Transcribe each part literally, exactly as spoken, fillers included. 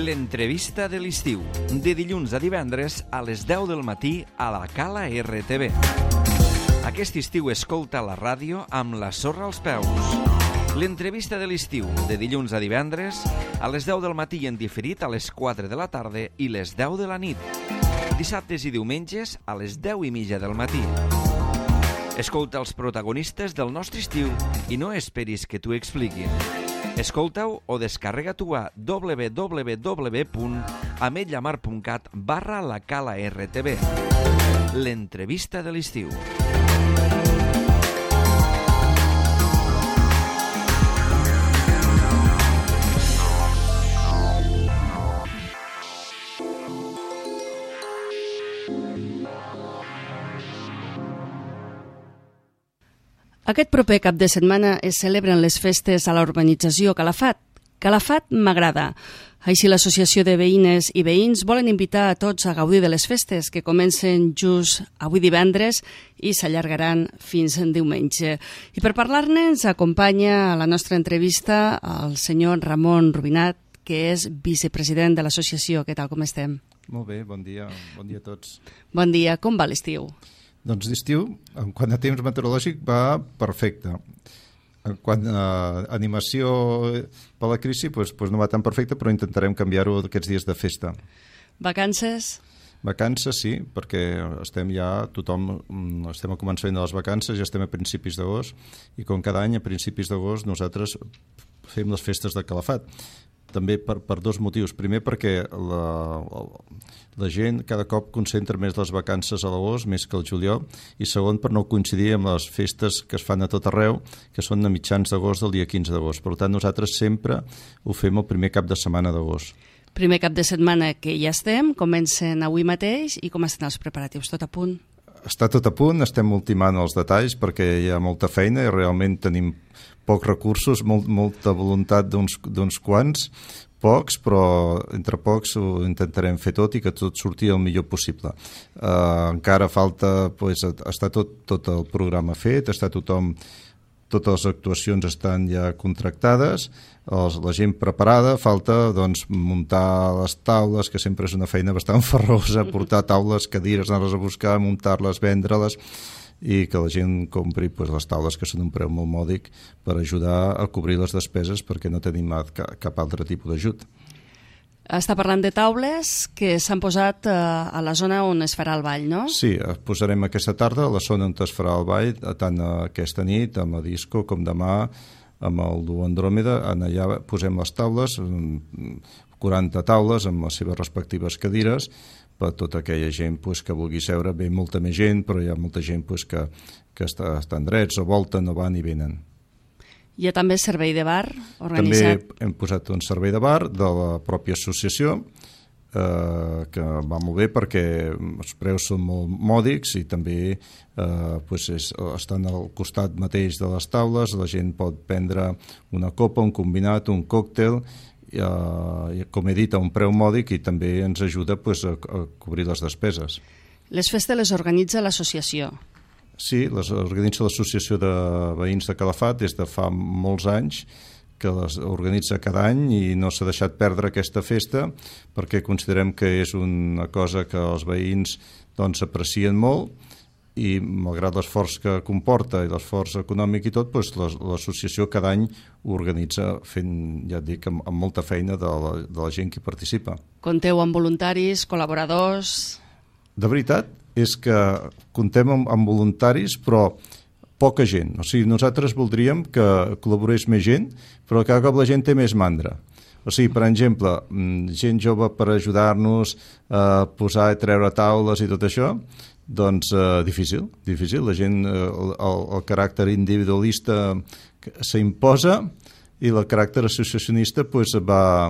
L'entrevista de l'estiu, de dilluns a divendres a les deu del matí a la Cala R T V. Aquest estiu escolta la ràdio amb la sorra als peus. L'entrevista de l'estiu, de dilluns a divendres a les deu del matí i en diferit a les quatre de la tarda i les deu de la nit. Dissabtes i diumenges a les deu i mitja del matí. Escolta els protagonistes del nostre estiu i no esperis que t'ho expliquin. Escolta-ho o descarrega-t'ho a w w w punt ametlla mar punt cat barra la Cala R T V. L'entrevista de l'estiu. Aquest proper cap de setmana es celebren les festes a la urbanització Calafat. Calafat m'agrada. Així l'Associació de Veïnes i Veïns volen invitar a tots a gaudir de les festes que comencen just avui divendres i s'allargaran fins en diumenge. I per parlar-ne ens acompanya a la nostra entrevista el senyor Ramon Rubinat, que és vicepresident de l'associació. Què tal, com estem? Molt bé, bon dia, bon dia a tots. Bon dia, com va l'estiu? Doncs l'estiu, en quant a temps meteorològic, va perfecte. En quant a animació per la crisi, doncs, doncs no va tan perfecte, però intentarem canviar-ho aquests dies de festa. Vacances? Vacances, sí, perquè estem ja, tothom, estem a començament de les vacances, ja estem a principis d'agost, i com cada any, a principis d'agost, nosaltres fem les festes de Calafat. També per, per dos motius. Primer, perquè la, la gent cada cop concentra més les vacances a l'agost, més que al juliol, i segon, per no coincidir amb les festes que es fan a tot arreu, que són a mitjans d'agost, del dia quinze d'agost. Per tant, nosaltres sempre ho fem el primer cap de setmana d'agost. Primer cap de setmana que ja estem, comencen avui mateix, i com estan els preparatius? Tot a punt? Està tot a punt, estem ultimant els detalls perquè hi ha molta feina i realment tenim pocs recursos, molt, molta voluntat d'uns, d'uns quants, pocs, però entre pocs ho intentarem fer tot i que tot surti el millor possible. Uh, encara falta, pues, està tot, tot el programa fet, està tothom, totes les actuacions estan ja contractades, els, la gent preparada, falta doncs, muntar les taules, que sempre és una feina bastant farrosa, portar taules, cadires, anar-les a buscar, muntar-les, vendre-les, i que la gent compri pues, les taules, que són un preu molt mòdic, per ajudar a cobrir les despeses perquè no tenim cap altre tipus d'ajut. Està parlant de taules que s'han posat a la zona on es farà el ball, no? Sí, posarem aquesta tarda a la zona on es farà el ball, tant aquesta nit, amb la disco, com demà, amb el Duo Andròmeda. Allà posem les taules, quaranta taules amb les seves respectives cadires, per tota aquella gent pues, que vulgui seure. Ve molta més gent, però hi ha molta gent pues, que, que està, estan drets o volten o van i venen. Hi ha també servei de bar organitzat? També hem posat un servei de bar de la pròpia associació, eh, que va molt bé perquè els preus són molt mòdics i també eh, pues és, estan al costat mateix de les taules, la gent pot prendre una copa, un combinat, un còctel, Uh, com he dit, a un preu mòdic, i també ens ajuda pues, a, a cobrir les despeses. Les festes les organitza l'associació? Sí, les organitza l'Associació de Veïns de Calafat des de fa molts anys, que les organitza cada any i no s'ha deixat perdre aquesta festa perquè considerem que és una cosa que els veïns doncs, aprecien molt, i malgrat l'esforç que comporta i l'esforç econòmic i tot, doncs l'associació cada any ho organitza fent, ja et dic, amb, amb molta feina de la, de la gent que hi participa. Compteu amb voluntaris, col·laboradors? De veritat és que comptem amb, amb voluntaris, però poca gent. O sigui, nosaltres voldríem que col·laborés més gent, però cada cop la gent té més mandra. O sigui, per exemple, gent jove per ajudar-nos a posar i treure taules i tot això, doncs eh, difícil, difícil. La gent, eh, el, el caràcter individualista s'imposa i el caràcter associacionista pues, va,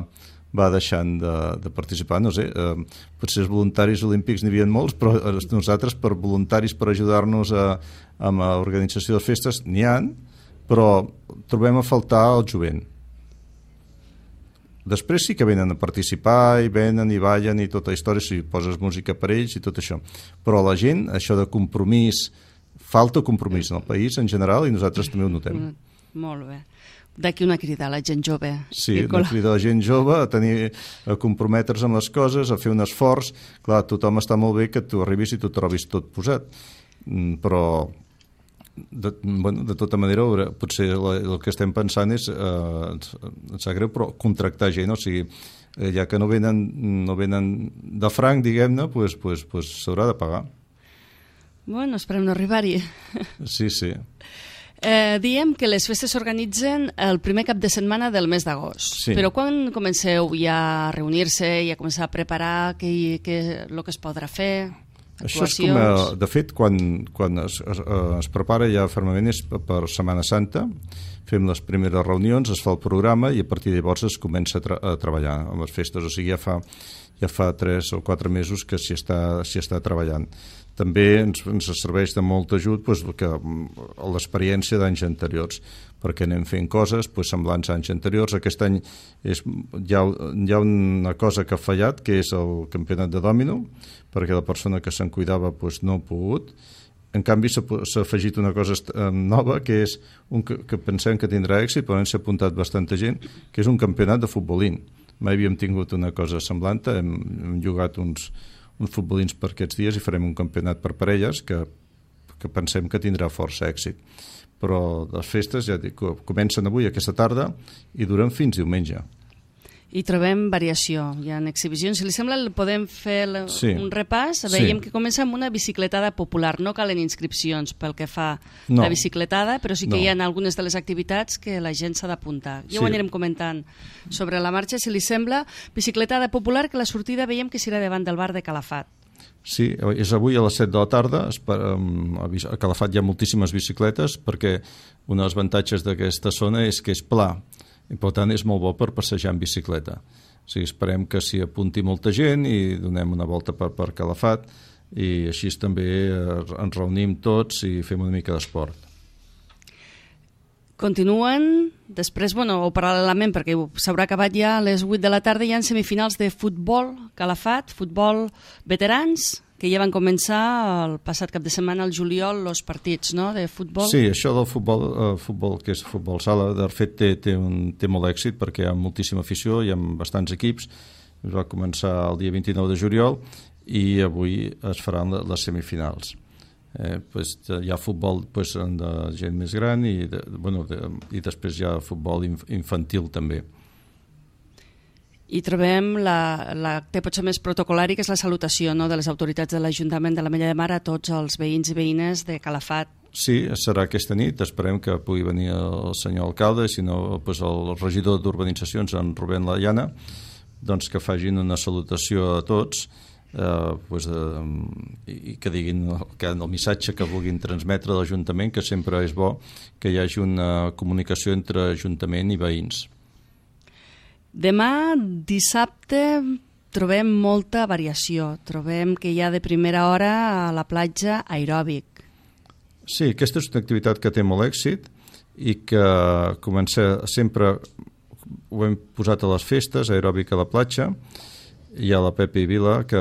va deixant de, de participar. No sé, eh, potser els voluntaris olímpics n'hi havia molts, però nosaltres per voluntaris per ajudar-nos a, amb l'organització de festes n'hi ha, però trobem a faltar el jovent. Després sí que venen a participar i venen i ballen i tota la història, si poses música per ells i tot això. Però la gent, això de compromís, falta compromís en el país en general i nosaltres també ho notem. Molt bé. D'aquí una crida a la gent jove. Sí, una crida a la gent jove a tenir, a comprometre's amb les coses, a fer un esforç. Clar, tothom està molt bé que tu arribis i tu trobis tot posat, però de, bueno, de tota manera potser el que estem pensant és eh, ens sap greu, però contractar gent, o sigui, ja que no venen, no venen de franc, diguem-ne, pues, pues, pues s'haurà de pagar. Bueno, esperem no arribar-hi. Sí, sí. Eh, diem que les festes s'organitzen el primer cap de setmana del mes d'agost. Sí. Però quan comenceu ja a reunir-se i a començar a preparar què, què, el que es podrà fer? Això és com, a, de fet, quan, quan es, es, es prepara ja fermament és per Setmana Santa, fem les primeres reunions, es fa el programa i a partir de llavors es comença a, tra a treballar amb les festes, o sigui, ja fa, ja fa tres o quatre mesos que s'hi està, s'hi està treballant. També ens, ens serveix de molt ajut doncs, l'experiència d'anys anteriors, perquè anem fent coses doncs, semblants a anys anteriors. Aquest any és, hi, ha, hi ha una cosa que ha fallat, que és el campionat de dòmino, perquè la persona que se'n cuidava doncs, no ha pogut. En canvi, s'ha afegit una cosa nova, que és un que, que pensem que tindrà èxit, però s'ha apuntat bastanta gent, que és un campionat de futbolín. Mai havíem tingut una cosa semblant, hem, hem jugat uns, uns futbolins per aquests dies i farem un campionat per parelles que, que pensem que tindrà força èxit. Però les festes, ja dic, comencen avui, aquesta tarda, i duren fins diumenge. I trobem variació, hi ha exhibicions. Si li sembla, podem fer sí. un repàs. Veiem sí. que comença amb una bicicletada popular. No calen inscripcions pel que fa no. la bicicletada, però sí que no. hi ha algunes de les activitats que la gent s'ha d'apuntar. Ja sí. ho anirem comentant sobre la marxa, si li sembla. Bicicletada popular, que la sortida veiem que serà davant del bar de Calafat. Sí, és avui a les set de la tarda. A Calafat hi ha moltíssimes bicicletes perquè un dels avantatges d'aquesta zona és que és pla. I per tant és molt bo per passejar en bicicleta. O sigui, esperem que s'hi apunti molta gent i donem una volta per, per Calafat i així també ens reunim tots i fem una mica d'esport. Continuen, després, bueno, o paral·lelament, perquè s'haurà acabat ja a les vuit de la tarda, hi ha semifinals de futbol Calafat, futbol veterans, que ja van començar el passat cap de setmana al juliol els partits, no?, de futbol. Sí, això del futbol, eh, futbol que és futbol sala, de fet té, té, un, té molt èxit perquè hi ha moltíssima afició, hi ha bastants equips. Es va començar el dia vint-i-nou de juliol i avui es faran les semifinals. Eh, pues, hi ha futbol pues, de gent més gran i, de, bueno, de, i després hi ha futbol infantil també. I trobem la, la que potser més protocolari, que és la salutació, no?, de les autoritats de l'Ajuntament de l'Ametlla de Mar a tots els veïns i veïnes de Calafat. Sí, serà aquesta nit, esperem que pugui venir el senyor alcalde, si no pues el regidor d'urbanitzacions, en Rubén Layana, doncs que facin una salutació a tots, eh, pues, eh, i que diguin que el missatge que vulguin transmetre a l'Ajuntament, que sempre és bo que hi hagi una comunicació entre Ajuntament i veïns. Demà, dissabte, trobem molta variació. Trobem que hi ha de primera hora a la platja aeròbic. Sí, aquesta és una activitat que té molt èxit i que comença sempre, ho hem posat a les festes, aeròbic a la platja. Hi ha la Pepi Vila que,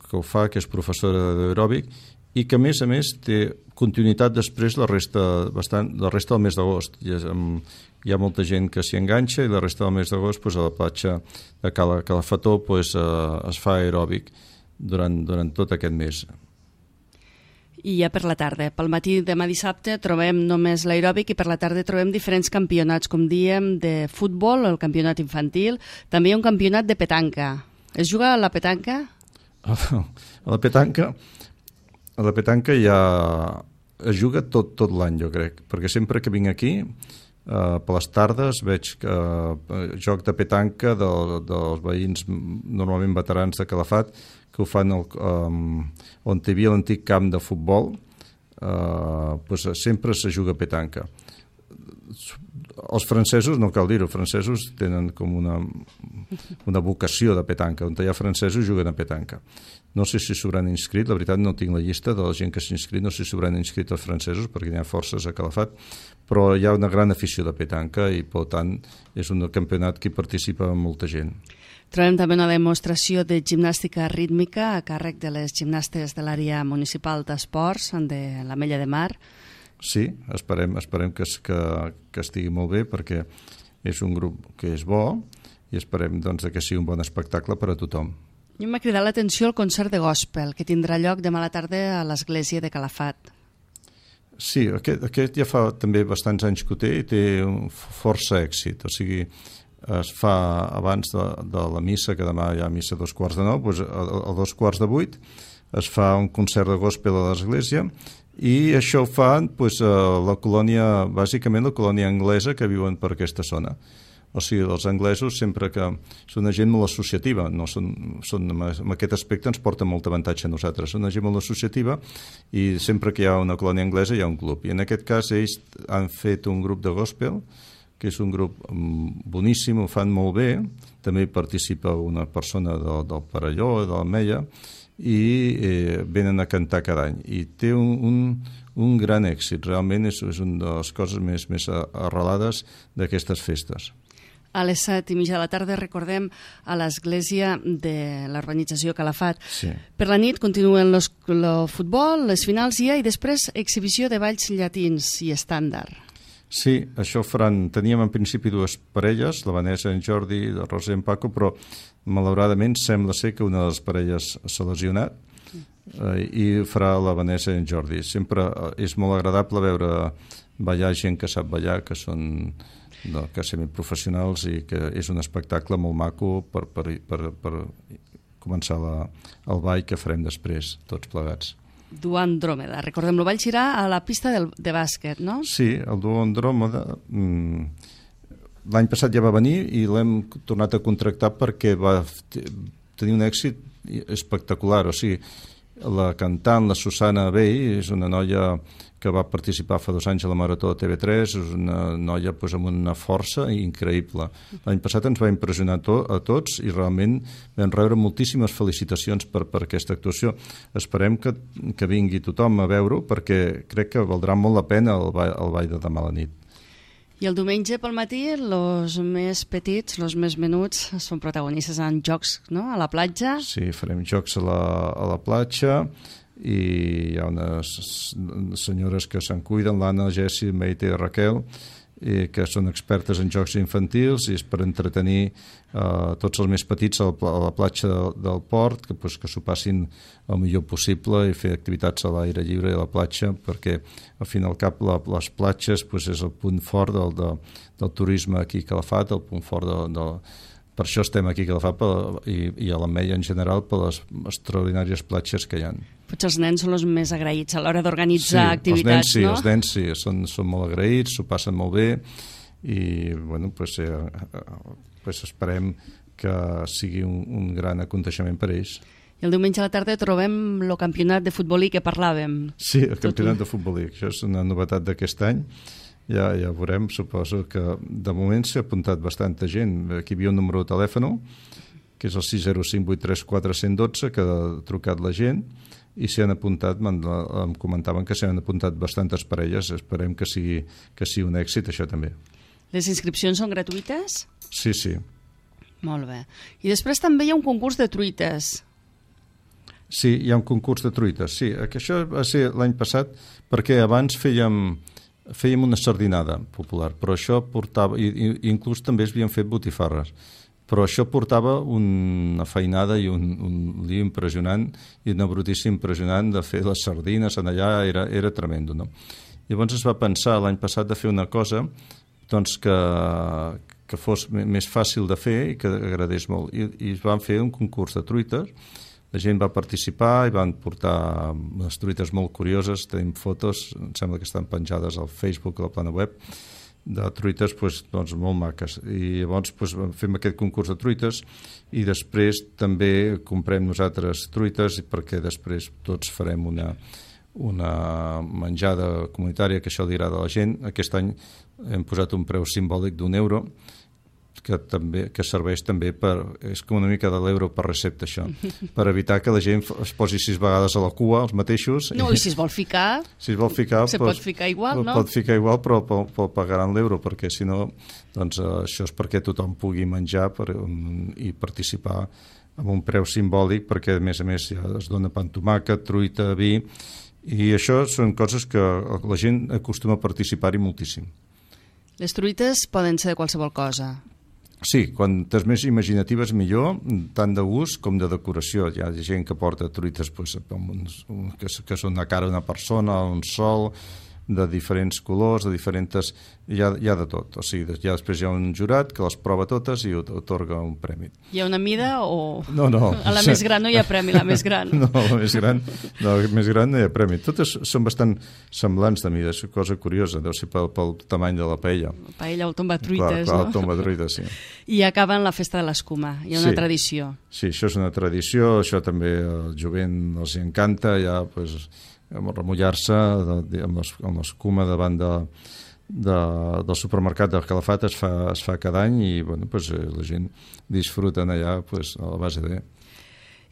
que ho fa, que és professora d'aeròbic i que a més a més té continuïtat després la resta, bastant, la resta del mes d'agost. Hi, hi ha molta gent que s'hi enganxa i la resta del mes d'agost pues, a la platja de Cala, Calafató pues, eh, es fa aeròbic durant, durant tot aquest mes. I ja per la tarda. Pel matí demà dissabte trobem només l'aeròbic i per la tarda trobem diferents campionats, com diem, de futbol, el campionat infantil. També hi ha un campionat de petanca. Es juga a la petanca? A la petanca... A la petanca ja es juga tot, tot l'any, jo crec, perquè sempre que vinc aquí, eh, per les tardes, veig que eh, joc de petanca de, dels veïns normalment veterans de Calafat, que ho fan el, eh, on hi havia l'antic camp de futbol, eh, pues sempre se juga petanca. Els francesos, no cal dir-ho, els francesos tenen com una, una vocació de petanca, on hi ha francesos juguen a petanca. No sé si s'hauran inscrit, la veritat no tinc la llista de la gent que s'ha inscrit, no sé si s'hauran inscrit els francesos, perquè n'hi ha forces a Calafat, però hi ha una gran afició de petanca i, per tant, és un campionat que hi participa molta gent. Trobem també una demostració de gimnàstica rítmica a càrrec de les gimnastes de l'àrea municipal d'esports de l'Ametlla de Mar. Sí, esperem, esperem que, que, que estigui molt bé, perquè és un grup que és bo i esperem doncs, que sigui un bon espectacle per a tothom. I m'ha cridat l'atenció el concert de gospel, que tindrà lloc demà a la tarda a l'església de Calafat. Sí, aquest, aquest ja fa també bastants anys que ho té i té un força èxit. O sigui, es fa abans de, de la missa, que demà hi ha missa a dos quarts de nou, doncs a, a dos quarts de vuit es fa un concert de gospel a l'església i això ho fa doncs, a la colònia, bàsicament la colònia anglesa que viuen per aquesta zona. O sigui, els anglesos sempre que són una gent molt associativa, no són, són, en aquest aspecte ens porta molt avantatge a nosaltres, són una gent molt associativa i sempre que hi ha una colònia anglesa hi ha un club. I en aquest cas ells han fet un grup de gospel, que és un grup boníssim, ho fan molt bé, també participa una persona del, del Perelló, de l'Ametlla, i eh, venen a cantar cada any. I té un, un, un gran èxit, realment és, és una de les coses més, més arrelades d'aquestes festes. A les set i mitja de la tarda, recordem, a l'església de l'urbanització Calafat. Sí. Per la nit continuen el futbol, les finals hi ha, i després exhibició de balls llatins i estàndard. Sí, això faran... Teníem en principi dues parelles, la Vanessa i en Jordi, el Roser i en Paco, però malauradament sembla ser que una de les parelles s'ha lesionat eh, i farà la Vanessa i en Jordi. Sempre és molt agradable veure ballar gent que sap ballar, que són... No, que semiprofessionals i que és un espectacle molt maco per, per, per, per començar la, el ball que farem després, tots plegats. Duo Andròmeda, recordem, el ball serà a la pista del, de bàsquet, no? Sí, el Duo Andròmeda mmm, l'any passat ja va venir i l'hem tornat a contractar perquè va tenir un èxit espectacular, o sigui, la cantant, la Susana Bey, és una noia que va participar fa dos anys a la Marató de T V tres, és una noia doncs, amb una força increïble. L'any passat ens va impressionar to a tots i realment vam rebre moltíssimes felicitacions per, per aquesta actuació. Esperem que, que vingui tothom a veure-ho perquè crec que valdrà molt la pena el ball, el ball de demà a la nit. I el diumenge pel matí, els més petits, els més menuts, són protagonistes en jocs, no?, a la platja. Sí, farem jocs a la, a la platja i hi ha unes senyores que se'n cuiden, l'Anna, el Jessi, el Meite i Raquel, i que són expertes en jocs infantils i és per entretenir eh, tots els més petits a la, a la platja del, del port, que, pues, que s'ho passin el millor possible i fer activitats a l'aire lliure i a la platja, perquè al fin i al cap la, les platges pues, és el punt fort del, de, del turisme aquí a Calafat, el punt fort de, de, per això estem aquí a Calafat per, i, i a l'Ametlla en general per les extraordinàries platges que hi ha. Potser els nens són els més agraïts a l'hora d'organitzar sí, activitats, els nens, sí, no? Els nens sí, són, són molt agraïts, s'ho passen molt bé i bueno, pues, eh, pues esperem que sigui un, un gran aconteixement per ells. I el diumenge a la tarda trobem el campionat de futbolí que parlàvem. Sí, el campionat de futbolí, això és una novetat d'aquest any. Ja, ja veurem, suposo que de moment s'ha apuntat bastanta gent. Aquí hi havia un número de telèfon, que és el sis zero cinc vuit tres quatre un zero un dos, que ha trucat la gent, i s'hi han apuntat, em comentaven que s'hi han apuntat bastantes parelles, esperem que sigui, que sigui un èxit, això també. Les inscripcions són gratuïtes? Sí, sí. Molt bé. I després també hi ha un concurs de truites. Sí, hi ha un concurs de truites, sí. Això va ser l'any passat, perquè abans fèiem... fèiem una sardinada popular, però això portava, i, i inclús també es havien fet botifarres, però això portava una feinada i un, un lío impressionant i una brutícia impressionant de fer les sardines en allà, era, era tremendo, no? Llavors es va pensar l'any passat de fer una cosa doncs que, que fos més fàcil de fer i que agradés molt, i, i es van fer un concurs de truites. La gent va participar i van portar unes truites molt curioses, tenim fotos, em sembla que estan penjades al Facebook, a la plana web, de truites doncs, doncs, molt maques. I llavors doncs, fem aquest concurs de truites i després també comprem nosaltres truites perquè després tots farem una, una menjada comunitària, que això li agrada a la gent. Aquest any hem posat un preu simbòlic d'un euro, que també que serveix també per... és com una mica de l'euro per recepta, això, per evitar que la gent es posi sis vegades a la cua, els mateixos. No, i si es vol ficar... Si es vol ficar... Se pues, pot ficar igual, no? Pot ficar igual, però, però, però pagaran l'euro, perquè si no, doncs això és perquè tothom pugui menjar per, um, i participar amb un preu simbòlic, perquè a més a més ja es dona pa amb tomàquet, truita, vi, I això són coses que la gent acostuma a participar-hi moltíssim. Les truites poden ser de qualsevol cosa. Sí, quantes més imaginatives millor, tant de gust com de decoració. Hi ha gent que porta truites pues, que, que són una cara d'una persona, un sol, de diferents colors, de diferents... Hi ha, hi ha de tot. O sigui, ja després hi ha un jurat que les prova totes i otorga un premi. Hi ha una mida o... No, no. A la més gran no hi ha premi, la més gran. No, la més gran no, la més gran no hi ha premi. Totes són bastant semblants de mida, és una cosa curiosa, deu ser pel, pel tamany de la paella. La paella o el tombatruites, clar, clar, no? el tombatruites, sí. I acaben la festa de l'escuma, hi ha una sí. tradició. Sí, això és una tradició, això també el jovent els encanta, ja, pues, remullar-se amb l'escuma davant de, de, del supermercat del Calafat es fa, es fa cada any i bueno, pues, la gent disfruten allà pues, a la base de...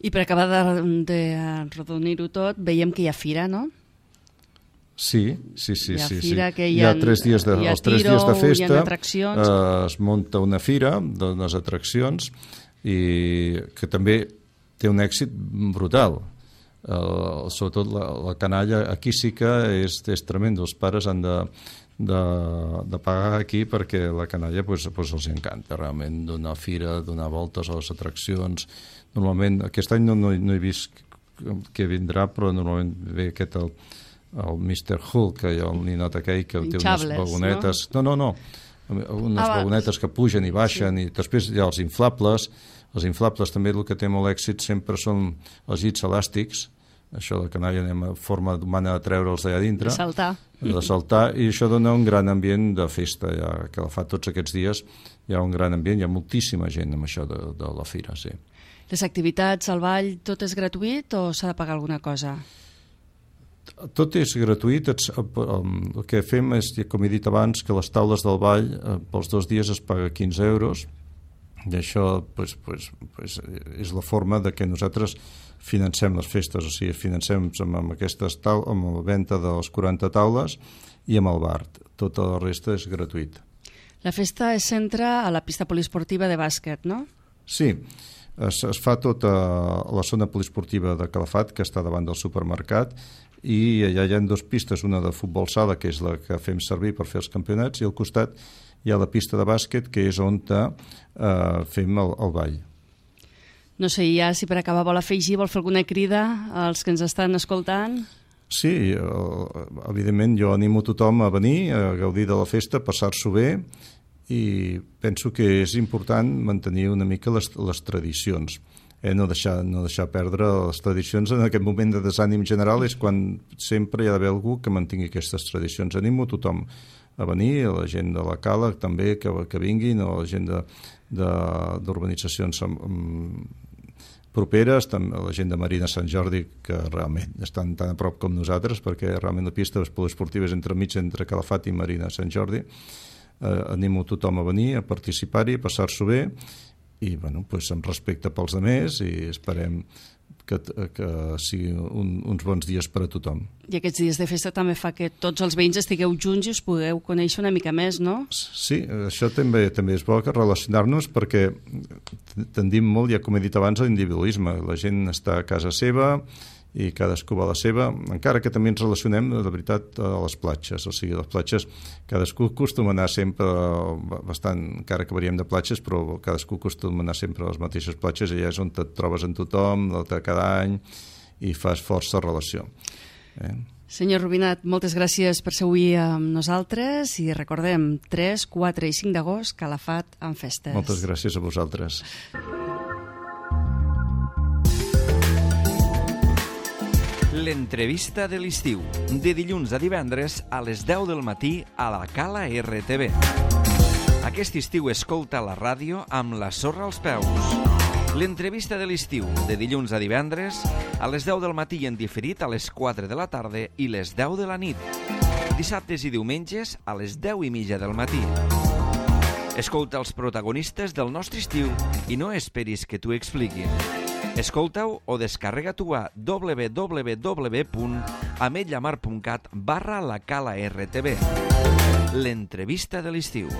I per acabar d'arrodonir-ho tot, veiem que hi ha fira, no? Sí, sí, sí. Hi ha sí, fira sí. que hi hi ha, ha, tres dies de, hi ha els tres tiro, dies de festa, hi ha atraccions. Eh, es munta una fira d'unes atraccions i que també té un èxit brutal. Uh, sobretot la, la canalla aquí sí que és, és tremendo, els pares han de, de, de pagar aquí perquè la canalla pues, pues els encanta realment donar fira, donar voltes a les atraccions. Normalment, aquest any no, no, no he vist que vindrà, però normalment ve aquest el, el mister Hulk, que hi ha el ninot aquell que té unes vagonetes, no, no, no, no unes ah, vagonetes que pugen i baixen, sí. I després hi ha els inflables. Els inflables també el que té molt èxit sempre són els llits elàstics, això de canalla anem a forma humana de treure'ls d'allà dintre. De saltar. De saltar, i això dona un gran ambient de festa, ja que la fa tots aquests dies, hi ha un gran ambient, hi ha moltíssima gent amb això de, de la fira, sí. Les activitats, el ball, tot és gratuït o s'ha de pagar alguna cosa? Tot és gratuït, el que fem és, com he dit abans, que les taules del ball pels dos dies es paga quinze euros, i això pues, pues, pues, és la forma de que nosaltres financem les festes, o sigui, financem amb, amb, aquestes tau amb la venda de les quaranta taules i amb el bar. Tota la resta és gratuït. La festa es centra a la pista poliesportiva de bàsquet, no? Sí, es, es fa tota la zona poliesportiva de Calafat, que està davant del supermercat, i allà hi ha dues pistes, una de futbol sala, que és la que fem servir per fer els campionats, i al costat hi ha la pista de bàsquet, que és on eh, fem el, el ball. No sé, ja si per acabar vol afegir, vol fer alguna crida als que ens estan escoltant? Sí, evidentment jo animo tothom a venir, a gaudir de la festa, passar-s'ho bé, i penso que és important mantenir una mica les, les tradicions. Eh, no, deixar, no deixar perdre les tradicions en aquest moment de desànim general és quan sempre hi ha d'haver algú que mantingui aquestes tradicions. Animo tothom a venir, a la gent de la Cala també que, que vinguin, o a la gent d'urbanitzacions properes, també a la gent de Marina Sant Jordi, que realment estan tan a prop com nosaltres, perquè realment la pista poliesportiva és entremig entre Calafat i Marina Sant Jordi. Eh, animo tothom a venir, a participar-hi, a passar-s'ho bé, i bueno, pues, amb respecte pels altres, i esperem que, que siguin un, uns bons dies per a tothom. I aquests dies de festa també fa que tots els veïns estigueu junts i us pugueu conèixer una mica més, no? Sí, això també també és bo que relacionar-nos, perquè tendim molt, ja com he dit abans, a l'individualisme. La gent està a casa seva i cadascú va a la seva, encara que també ens relacionem, de veritat, a les platges. O sigui, a les platges cadascú acostuma a anar sempre bastant, encara que variem de platges, però cadascú acostuma a anar sempre a les mateixes platges, i allà és on et trobes amb tothom, cada any, i fas força relació. Eh? Senyor Rubinat, moltes gràcies per ser avui amb nosaltres, i recordem, tres, quatre i cinc d'agost, Calafat en festes. Moltes gràcies a vosaltres. L'entrevista de l'estiu, de dilluns a divendres a les deu del matí a la Cala R T V. Aquest estiu escolta la ràdio amb la sorra als peus. L'entrevista de l'estiu, de dilluns a divendres a les deu del matí en diferit a les quatre de la tarda i les deu de la nit. Dissabtes i diumenges a les deu i mitja del matí. Escolta els protagonistes del nostre estiu i no esperis que t'ho expliquin. Escolta-ho o descarrega-t'ho a w w w punt ametlla mar punt cat barra la Cala R T V. L'entrevista de l'estiu.